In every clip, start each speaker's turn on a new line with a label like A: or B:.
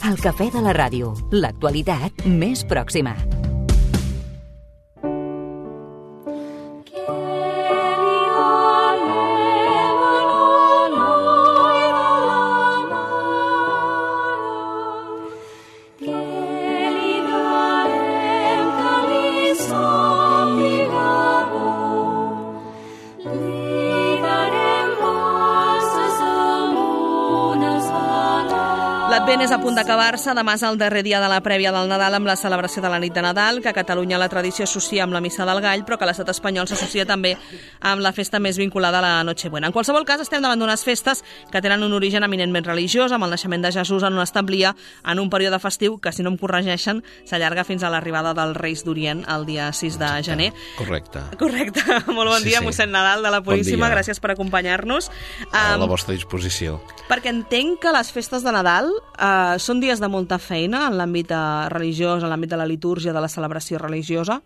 A: El cafè de la ràdio, l'actualitat més pròxima.
B: L'Advent és a punt d'acabar-se. Demà és el darrer dia de la prèvia del Nadal amb la celebració de la nit de Nadal, que a Catalunya la tradició associa amb la Missa del Gall, però que a l'estat espanyol s'associa també amb la festa més vinculada a la Nochebuena. En qualsevol cas, estem davant d'unes festes que tenen un origen eminentment religiós, amb el naixement de Jesús en una establia en un període festiu que, si no em corregeixen, s'allarga fins a l'arribada dels Reis d'Orient el dia 6 de gener.
C: Correcte.
B: Molt bon dia, mossèn Nadal de la Puríssima.
C: Bon dia.
B: Gràcies per acompanyar-nos.
C: A la vostra disposició.
B: Perquè entenc que les festes de Nadal són dies de molta feina en l'àmbit religiós, en l'àmbit de la litúrgia, de la celebració religiosa?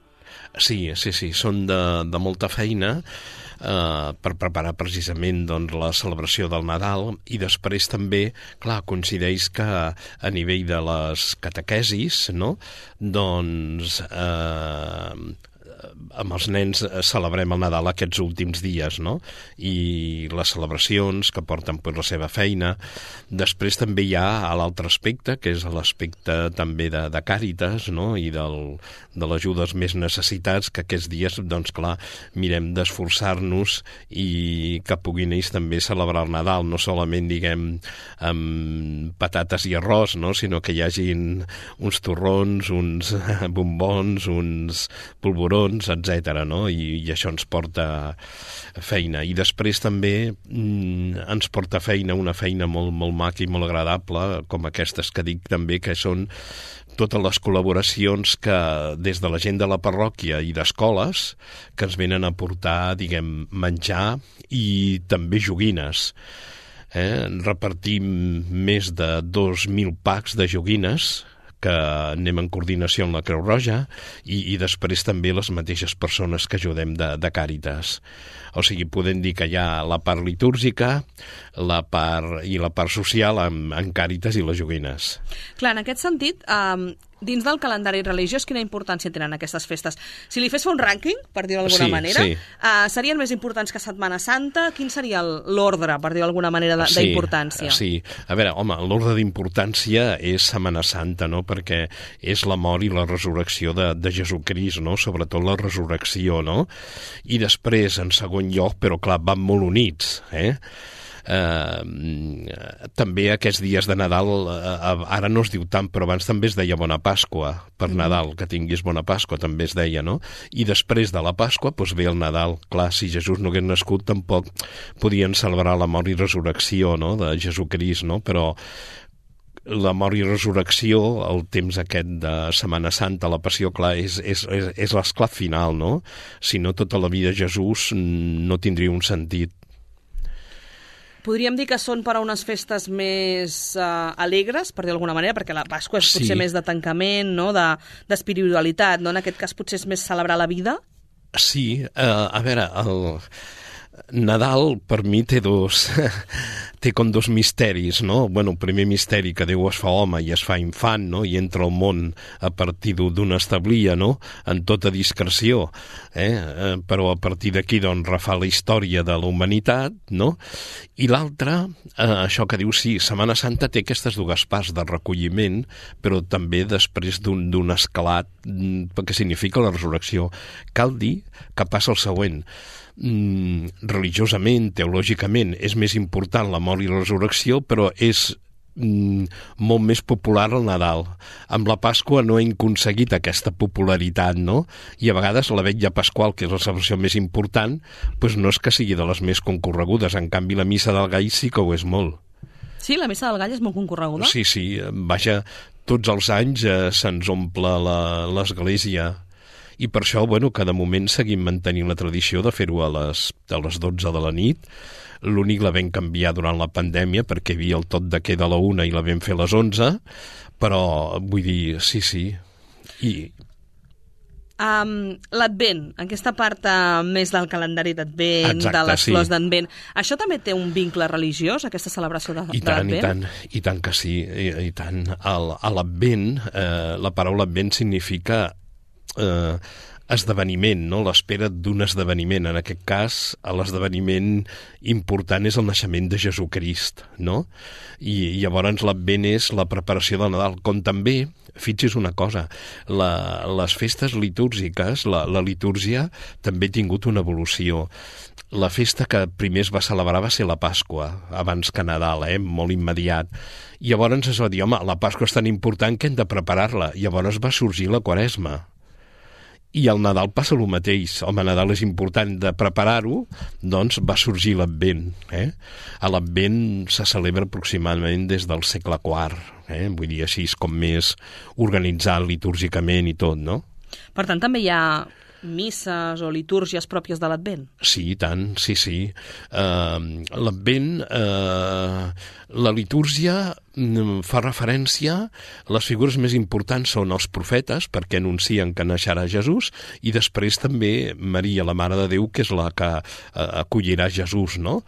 C: Sí, són de molta feina per preparar precisament doncs, la celebració del Nadal, i després també, clar, coincideix que a nivell de les catequesis, no?, doncs amb els nens celebrem el Nadal aquests últims dies, no? I les celebracions que porten per la seva feina. Després també hi ha l'altre aspecte, que és l'aspecte també de Càritas, no? I de l'ajuda als més necessitats, que aquests dies, doncs clar, mirem d'esforçar-nos i que puguin ells també celebrar el Nadal, no solament, diguem, amb patates i arròs, no? Sinó que hi hagin uns torrons, uns bombons, uns polvorons, etc., no? I això ens porta feina. I després també ens porta feina, una feina molt, molt maca i molt agradable, com aquestes que dic també, que són totes les col·laboracions que des de la gent de la parròquia i d'escoles que ens venen a portar, diguem, menjar i també joguines. Repartim més de 2.000 packs de joguines que anem en coordinació amb la Creu Roja i després també les mateixes persones que ajudem de Càritas. O sigui, podem dir que hi ha la part litúrgica, la part social en Càritas i les joguines.
B: Clar, en aquest sentit, dins del calendari religiós, quina importància tenen aquestes festes? Si li fes un rànquing, per dir-ho d'alguna manera, serien més importants que Setmana Santa? Quin seria l'ordre, per dir-ho d'alguna manera, d'importància?
C: Sí, a veure, home, l'ordre d'importància és Setmana Santa, no?, perquè és la mort i la resurrecció de Jesucrist, no?, sobretot la resurrecció, no?, i després, en segon lloc, però clar, van molt units, també aquests dies de Nadal, ara no es diu tant, però abans també es deia Bona Pasqua per Nadal, que tinguis Bona Pasqua també es deia, no? I després de la Pasqua doncs ve el Nadal. Clar, si Jesús no hagués nascut tampoc podien celebrar la mort i resurrecció, no?, de Jesucrist, no? Però la mort i resurrecció, el temps aquest de Setmana Santa, la passió, clar, és l'esclat final, no? Si no, tota la vida Jesús no tindria un sentit.
B: Podríem dir que són per a unes festes més alegres, per dir d'alguna manera, perquè la Pasqua és potser més de tancament, no?, d'espiritualitat, no? En aquest cas potser és més celebrar la vida?
C: Sí, a veure, el Nadal per mi té com dos misteris, no? Bueno, el primer misteri, que Déu es fa home i es fa infant, no?, i entra al món a partir d'una establia, no?, en tota discreció, però a partir d'aquí, doncs, refà la història de la humanitat, no? I l'altre, això que diu, sí, Setmana Santa té aquestes dues parts de recolliment, però també després d'un esclat, que significa la resurrecció. Cal dir que passa el següent: religiosament, teològicament, és més important la mort i la resurrecció, però és molt més popular el Nadal. Amb la Pasqua no hem aconseguit aquesta popularitat, no? I a vegades la vetlla pasqual, que és la celebració més important, doncs no és que sigui de les més concorregudes. En canvi, la Missa del Gall sí que ho és molt.
B: Sí, la Missa del Gall és molt concorreguda?
C: Sí, vaja, tots els anys se'ns omple l'església. I per això, bueno, que de moment seguim mantenint la tradició de fer-ho a les 12 de la nit. L'únic la vam canviar durant la pandèmia perquè hi havia el tot de queda a la 1 i la vam fer a les 11, però vull dir, sí.
B: L'Advent, aquesta part més del calendari d'Advent,
C: Exacte,
B: de les
C: sí.
B: flors d'Advent, això també té un vincle religiós, aquesta celebració de l'Advent?
C: I tant que sí, i tant. A l'Advent, la paraula Advent significa esdeveniment, no? L'espera d'un esdeveniment. En aquest cas, l'esdeveniment important és el naixement de Jesucrist, no? I llavors l'Advent és la preparació del Nadal, com també, fixi's una cosa, les festes litúrgiques, la litúrgia també ha tingut una evolució. La festa que primer es va celebrar va ser la Pasqua, abans que Nadal, molt immediat. I llavors es va dir, home, la Pasqua és tan important que hem de preparar-la. Llavors va sorgir la Quaresma. I al Nadal passa el mateix. Home, Nadal és important de preparar-ho, doncs va sorgir l'Advent. A l'Advent se celebra aproximadament des del segle IV. Vull dir, així com més organitzat litúrgicament i tot, no?
B: Per tant, també hi ha misses o litúrgies pròpies de l'Advent?
C: Sí, i tant, sí. L'Advent, la litúrgia fa referència, les figures més importants són els profetes, perquè anuncien que naixerà Jesús, i després també Maria, la Mare de Déu, que és la que acollirà Jesús, no?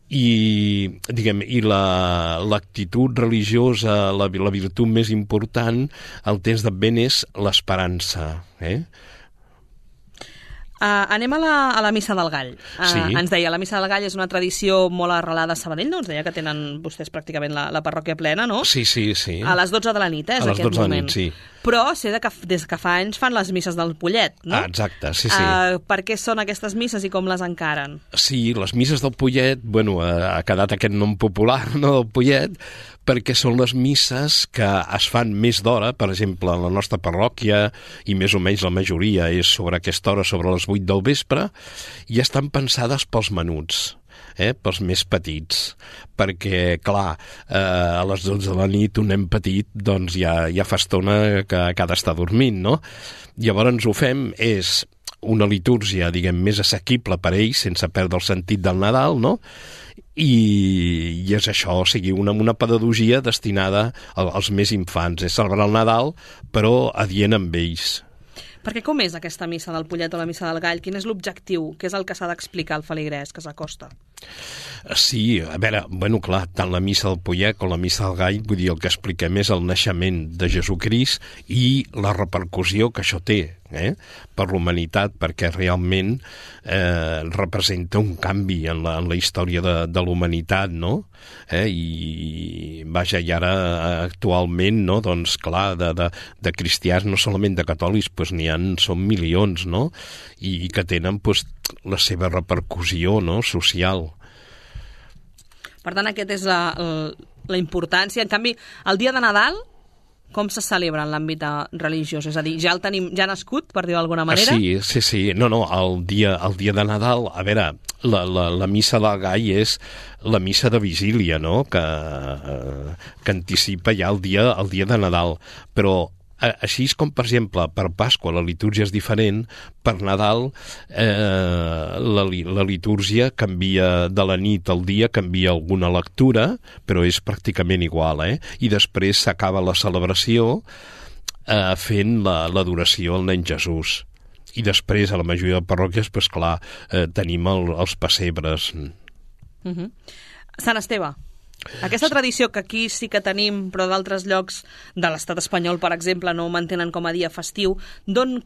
C: I l'actitud religiosa, la virtut més important al temps d'Advent és l'esperança,
B: Anem a la Missa del Gall.
C: Sí.
B: Ens deia, la Missa del Gall és una tradició molt arrelada a Sabadell, no? Ens deia que tenen vostès pràcticament la parròquia plena, no?
C: Sí.
B: A les 12 de la nit, és
C: a les
B: aquest
C: 12
B: moment.
C: de la nit, sí.
B: Però sé que des que fa anys fan les misses del Pollet, no?
C: Exacte, sí.
B: Per què són aquestes misses i com les encaren?
C: Sí, les misses del Pollet, ha quedat aquest nom popular, no?, del Pollet, perquè són les misses que es fan més d'hora, per exemple, en la nostra parròquia, i més o menys la majoria és sobre aquesta hora, sobre les 8 del vespre, i estan pensades pels menuts, pels més petits, perquè, clar, a les 12 de la nit un nen petit doncs ja fa estona que ha d'estar dormint, no? Llavors ho fem, és una litúrgia, diguem, més assequible per a ells, sense perdre el sentit del Nadal, no? I és això, o sigui, una pedagogia destinada als més infants, és celebrar el Nadal, però adient amb ells.
B: Perquè com és aquesta missa del Pollet o la missa del Gall? Quin és l'objectiu? Què és el que s'ha d'explicar al feligrès que s'acosta?
C: Sí, a veure, clar, tant la missa del Pollet com la missa del Gall, vull dir, el que expliquem és el naixement de Jesucrist i la repercussió que això té per l'humanitat, perquè realment representa un canvi en la història de l'humanitat, no? I vaja, i ara actualment, no? Doncs clar, de cristians, no solament de catòlics, doncs són milions, no? I que tenen la seva repercussió, no?, social.
B: Per tant, aquesta és la importància. En canvi, el dia de Nadal, com se celebra en l'àmbit religiós? És a dir, ja el tenim ja nascut, per dir-ho d'alguna manera?
C: Sí. No, el dia de Nadal, a veure, la missa del Gall és la missa de vigília, no?, que anticipa ja el dia de Nadal. Però així com, per exemple, per Pasqua la litúrgia és diferent, per Nadal la litúrgia canvia de la nit al dia, canvia alguna lectura, però és pràcticament igual, I després s'acaba la celebració fent l'adoració al nen Jesús. I després, a la majoria de parròquies, clar, tenim els pessebres.
B: Sant Esteve. Aquesta tradició que aquí sí que tenim, però d'altres llocs de l'estat espanyol, per exemple, no ho mantenen com a dia festiu,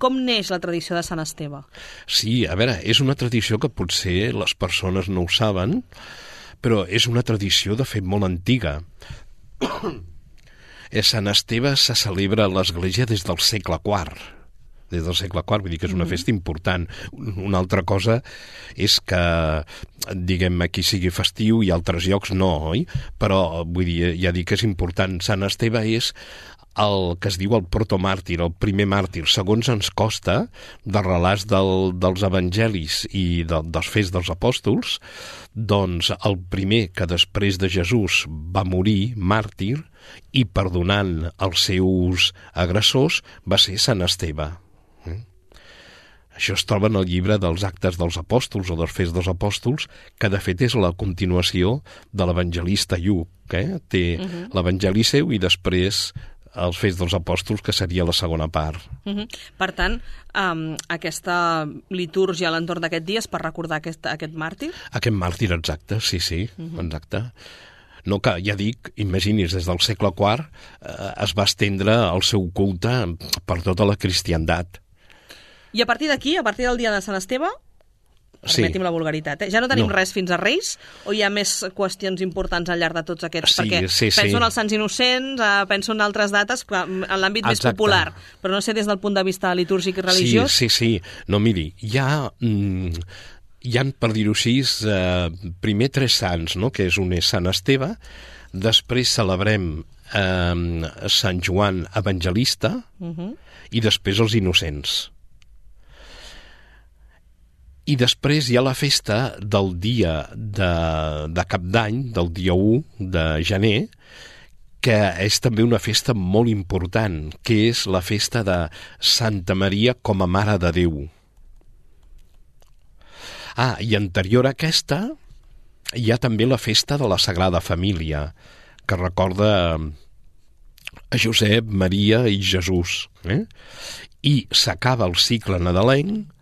B: com neix la tradició de Sant Esteve? Sí,
C: a veure, és una tradició que potser les persones no ho saben, però és una tradició, de fet, molt antiga. Sant Esteve se celebra a l'Església des del segle IV. Des del segle IV, vull dir que és una festa important. Una altra cosa és que, diguem, aquí sigui festiu i altres llocs no, oi? Però, vull dir, ja dic que és important. Sant Esteve és el que es diu el protomàrtir, el primer màrtir, segons ens costa, de relats dels evangelis i dels fets dels apòstols, doncs el primer que després de Jesús va morir, màrtir, i perdonant els seus agressors, va ser Sant Esteve. Això es troba en el llibre dels Actes dels Apòstols o dels Fets dels Apòstols, que de fet és la continuació de l'evangelista Lluc. Té l'evangeli seu i després els Fets dels Apòstols, que seria la segona part.
B: Per tant, aquesta litúrgia a l'entorn d'aquest dia és per recordar aquest màrtir?
C: Aquest màrtir, exacte, sí, exacte. No, que ja dic, imagini's, des del segle IV es va estendre el seu culte per tota la cristiandat.
B: I a partir d'aquí, a partir del dia de Sant Esteve, permeti'm la vulgaritat, ja no tenim res fins a Reis, o hi ha més qüestions importants al llarg de tots aquests? Perquè penso en els Sants Innocents, penso en altres dates, en l'àmbit més popular, però no sé des del punt de vista litúrgic i religiós.
C: Sí. No, miri, hi ha, per dir-ho així, primer 3 sants, no? Que un és Sant Esteve, després celebrem Sant Joan Evangelista i després els Innocents. I després hi ha la festa del dia de Cap d'Any, del dia 1 de gener, que és també una festa molt important, que és la festa de Santa Maria com a Mare de Déu. I anterior a aquesta hi ha també la festa de la Sagrada Família, que recorda a Josep, Maria i Jesús. I s'acaba el cicle nadalenc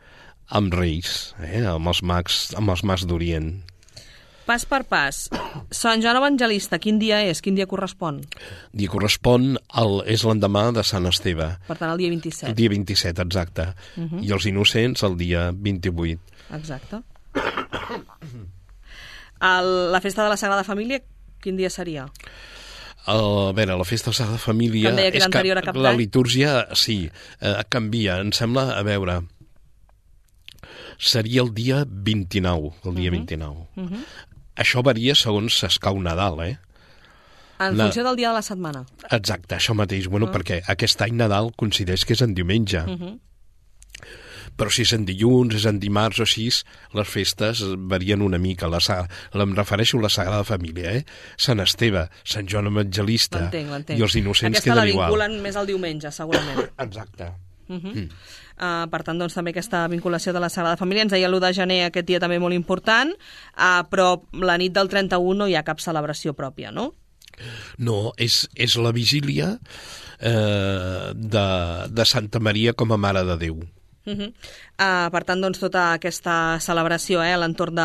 C: amb Reis, amb els mags d'Orient.
B: Pas per pas, Sant Joan Evangelista, quin dia és? Quin dia correspon?
C: Dia correspon, és l'endemà de Sant Esteve.
B: Per tant, el dia 27.
C: El dia 27, exacte. I els Innocents, el dia 28.
B: Exacte. La festa de la Sagrada Família, quin dia seria?
C: A veure, la festa de la Sagrada Família...
B: Que em deia que era anterior a Cap d'Any.
C: La litúrgia, sí, canvia. Em sembla, a veure... Seria el dia 29, el dia 29. Això varia segons s'escau Nadal,
B: En funció del dia de la setmana.
C: Exacte, això mateix. Bueno, perquè aquest any Nadal coincideix que és en diumenge. Però si és en dilluns, és en dimarts o així, les festes varien una mica. Em refereixo a la Sagrada Família, Sant Esteve, Sant Joan Evangelista i els Innocents queden igual.
B: Aquesta la vinculen més al diumenge, segurament.
C: Exacte.
B: Per tant, doncs, també aquesta vinculació de la Sagrada Família. Ens deia l'1 de gener, aquest dia també molt important, però la nit del 31 no hi ha cap celebració pròpia, no?
C: No, és la vigília de Santa Maria com a Mare de Déu.
B: Per tant, doncs, tota aquesta celebració a l'entorn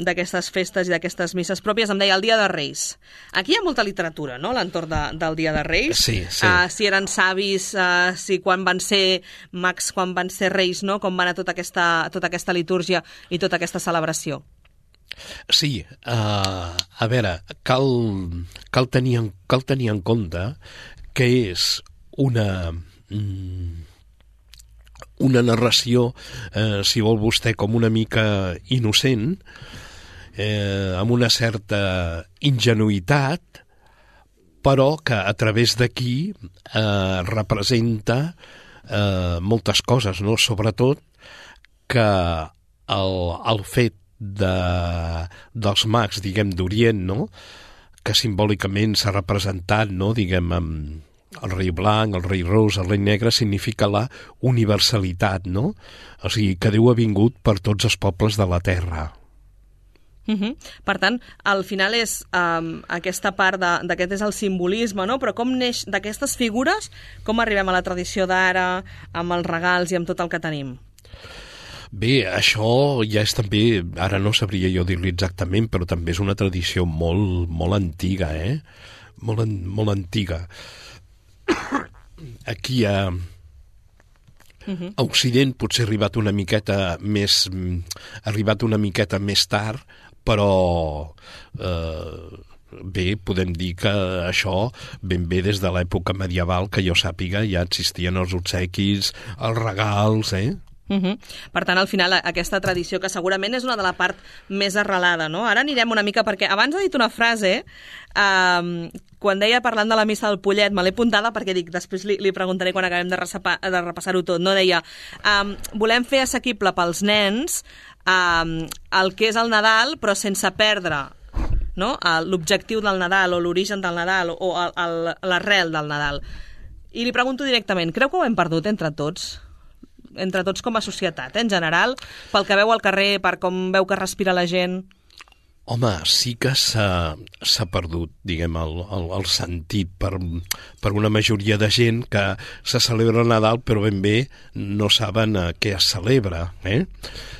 B: d'aquestes festes i d'aquestes misses pròpies. Em deia el dia de Reis. Aquí hi ha molta literatura, no?, a l'entorn del dia de Reis.
C: Sí.
B: Si eren savis, si quan van ser mags, quan van ser reis, no?, com va anar tota aquesta litúrgia i tota aquesta celebració.
C: Sí, a veure, cal tenir en compte que és una narració, si vol vostè, com una mica innocent, amb una certa ingenuïtat, però que a través d'aquí representa moltes coses, no? Sobretot que el fet dels mags, diguem, d'Orient, no?, que simbòlicament s'ha representat, no?, diguem, amb el rei blanc, el rei ros, el rei negre, significa la universalitat, no? O sigui, que Déu ha vingut per tots els pobles de la terra.
B: Per tant, al final és aquesta part d'aquest és el simbolisme, no? Però com neix d'aquestes figures, com arribem a la tradició d'ara, amb els regals i amb tot el que tenim?
C: Bé, això ja és també, ara no sabria jo dir-li exactament, però també és una tradició molt, molt antiga, molt antiga. Aquí a Occident potser ha arribat una miqueta més tard, però bé, podem dir que això ben bé des de l'època medieval, que jo sàpiga, ja existien els obsequis, els regals,
B: Per tant, al final, aquesta tradició, que segurament és una de la part més arrelada, no? Ara anirem una mica, perquè abans ha dit una frase, quan deia parlant de la missa del Pollet, me l'he apuntada perquè dic, després li preguntaré quan acabem de repassar-ho tot, no? Deia, volem fer assequible pels nens el que és el Nadal, però sense perdre, no?, l'objectiu del Nadal o l'origen del Nadal o l'arrel del Nadal. I li pregunto directament, creu que ho hem perdut entre tots com a societat, en general, pel que veu al carrer, per com veu que respira la gent?
C: Home, sí que s'ha perdut, diguem, el sentit per una majoria de gent que se celebra el Nadal però ben bé no saben què es celebra.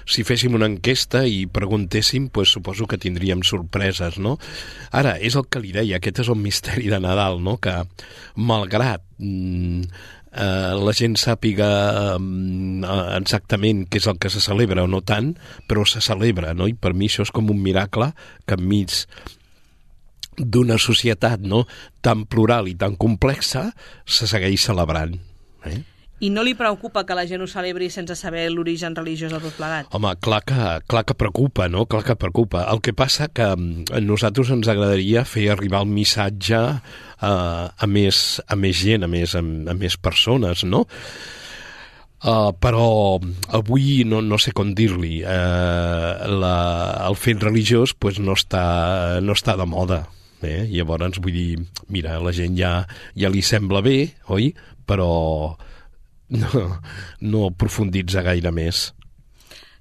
C: Si féssim una enquesta i preguntéssim, pues, suposo que tindríem sorpreses, no? Ara, és el que li deia, aquest és el misteri de Nadal, no? Que malgrat la gent sàpiga exactament què és el que se celebra o no tant, però se celebra, no? I per mi això és com un miracle que enmig d'una societat, no?, tan plural i tan complexa se segueix celebrant.
B: I no li preocupa que la gent ho celebri sense saber l'origen religiós de tot plegat?
C: Home, clar que preocupa, no? Clar que preocupa. El que passa que a nosaltres ens agradaria fer arribar el missatge a més gent, a més persones, no? Però avui no sé com dir-li. El fet religiós pues, no està de moda. Llavors, vull dir, mira, la gent ja li sembla bé, oi? Però no aprofunditza gaire més.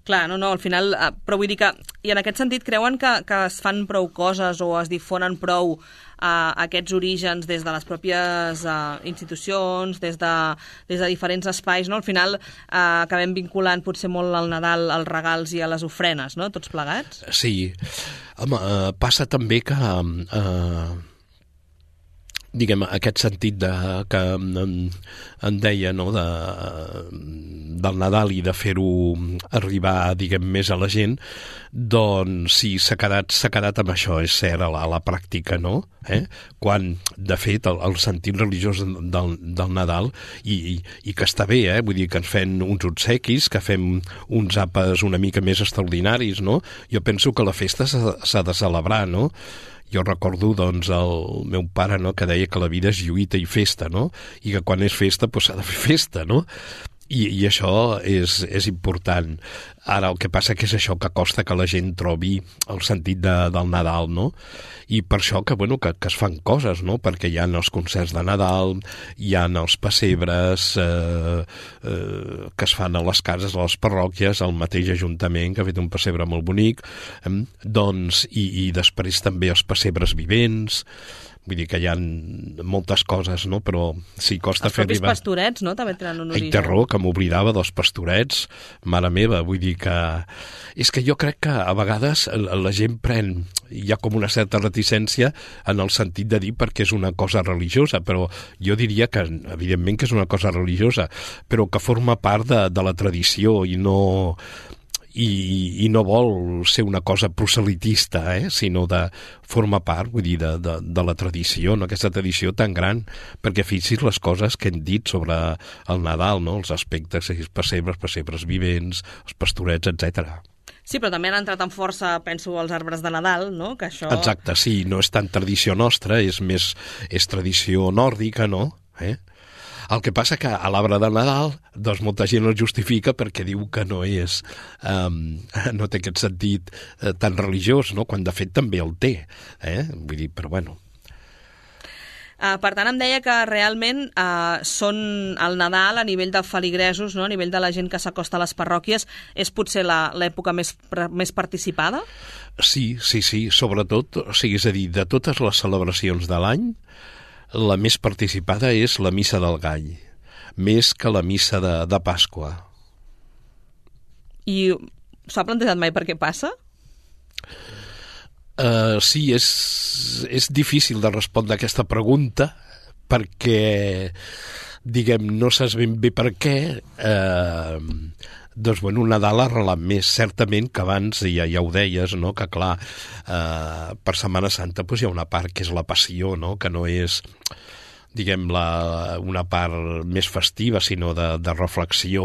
B: Clar, no, al final, però vull dir que, i en aquest sentit, creuen que es fan prou coses o es difonen prou aquests orígens des de les pròpies institucions, des de diferents espais, no? Al final acabem vinculant potser molt al Nadal, als regals i a les ofrenes, no?, tots plegats? Sí.
C: Home, passa també que diguem, aquest sentit que en deia, no?, del Nadal i de fer-ho arribar, diguem, més a la gent, doncs sí, s'ha quedat amb això, és cert, a la pràctica, no? Quan, de fet, el sentit religiós del Nadal, i que està bé, vull dir que ens fem uns obsequis, que fem uns àpats una mica més extraordinaris, no? Jo penso que la festa s'ha de celebrar, no? Jo recordo, doncs, el meu pare, no?, que deia que la vida és lluita i festa, no? I que quan és festa, doncs s'ha de fer festa, no? I això és important. Ara, el que passa que és això, que costa que la gent trobi el sentit del Nadal, no? I per això que es fan coses, no? Perquè hi ha els concerts de Nadal, hi ha els pessebres que es fan a les cases, a les parròquies, el mateix ajuntament que ha fet un pessebre molt bonic, doncs, i després també els pessebres vivents. Vull dir que hi ha moltes coses, no? Però sí, costa fer arribar...
B: Els propis pastorets, no?, també tenen un origen.
C: Ai, terror, que m'oblidava dels pastorets, mare meva, vull dir que... És que jo crec que a vegades la gent hi ha com una certa reticència en el sentit de dir perquè és una cosa religiosa, però jo diria que, evidentment que és una cosa religiosa, però que forma part de la tradició i no vol ser una cosa proselitista, sinó de formar part, vull dir, de la tradició, no? Aquesta tradició tan gran, perquè fixis les coses que hem dit sobre el Nadal, no? Els aspectes, els pessebres vivents, els pastorets, etc.
B: Sí, però també han entrat amb força, penso, els arbres de Nadal, no? Que això...
C: Exacte, sí, no és tan tradició nostra, és tradició nòrdica, no? El que passa que a l'arbre de Nadal, doncs molta gent el justifica perquè diu que no no té aquest sentit tan religiós, no? Quan de fet també el té, vull dir, però bueno.
B: Per tant, em deia que realment són el Nadal a nivell de feligresos, no? A nivell de la gent que s'acosta a les parròquies, és potser l'època més participada?
C: Sí, sobretot, o sigui, és a dir, de totes les celebracions de l'any, la més participada és la missa del Gall, més que la missa de Pasqua.
B: I s'ha plantejat mai per què passa?
C: Sí, és difícil de respondre a aquesta pregunta perquè, diguem, no saps ben bé per què. Doncs, Nadal ha arrelat més, certament que abans ja ho deies, no? Que clar, per Setmana Santa hi ha una part que és la passió, no? Que no és, diguem, una part més festiva, sinó de reflexió,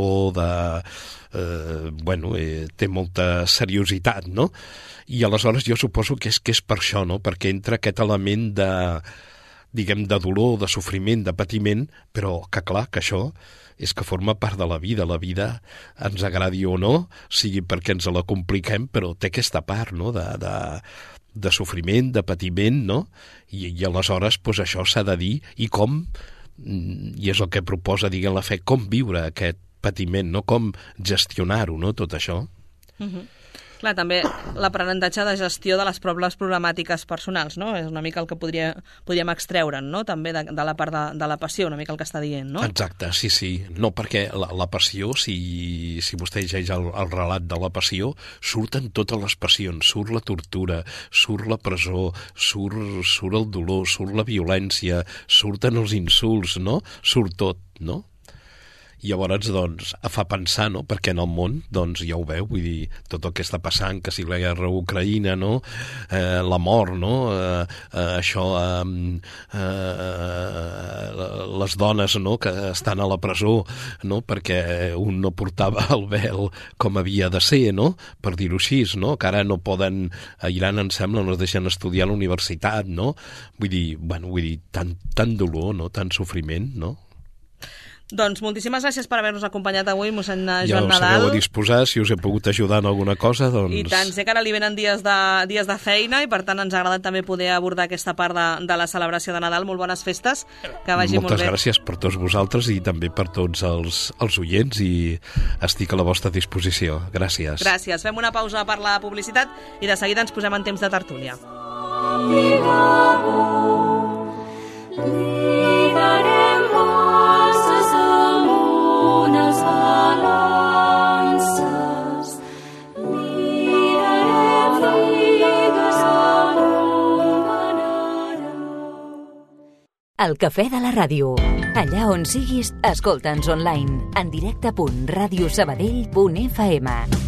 C: té molta seriositat, no? I aleshores jo suposo que és per això, no? Perquè entra aquest element de dolor, de sofriment, de patiment, però que clar, que això és que forma part de la vida ens agradi o no, sigui perquè ens la compliquem, però té aquesta part, no?, de sofriment, de patiment, no? I aleshores, doncs això s'ha de dir, i com, i és el que proposa, diguem, la fe, com viure aquest patiment, no?, com gestionar-ho, no?, tot això.
B: Clar, també l'aprenentatge de gestió de les pròpies problemàtiques personals, no? És una mica el que podríem extreure'n, no? També de la part de la passió, una mica el que està dient, no?
C: Exacte, sí. No, perquè la passió, si vostè llegeix el relat de la passió, surten totes les passions, surt la tortura, surt la presó, surt el dolor, surt la violència, surten els insults, no? Surt tot, no? I llavors, doncs, fa pensar, no?, perquè en el món, doncs, ja ho veu, vull dir, tot el que està passant, que si la guerra a Ucraïna, no?, la mort, no?, les dones, no?, que estan a la presó, no?, perquè un no portava el vel com havia de ser, no?, per dir-ho així, no?, que ara no poden, a Iran, em sembla, no es deixen estudiar a la universitat, no?, vull dir, tant dolor, no?, tant sofriment, no?,
B: Doncs moltíssimes gràcies per haver-nos acompanyat avui, mossèn Joan Nadal.
C: Ja us sabeu a disposar, si us he pogut ajudar en alguna cosa, doncs...
B: I tant, sé que ara li venen dies de feina i per tant ens ha agradat també poder abordar aquesta part de la celebració de Nadal. Molt bones festes, que vagi molt bé.
C: Moltes gràcies per tots vosaltres i també per tots els oients i estic a la vostra disposició. Gràcies.
B: Gràcies. Fem una pausa per la publicitat i de seguida ens posem en temps de tertúlia.
A: El cafè de la ràdio. Allà on siguis, escolta'ns online. En directe.radiosabadell.fm.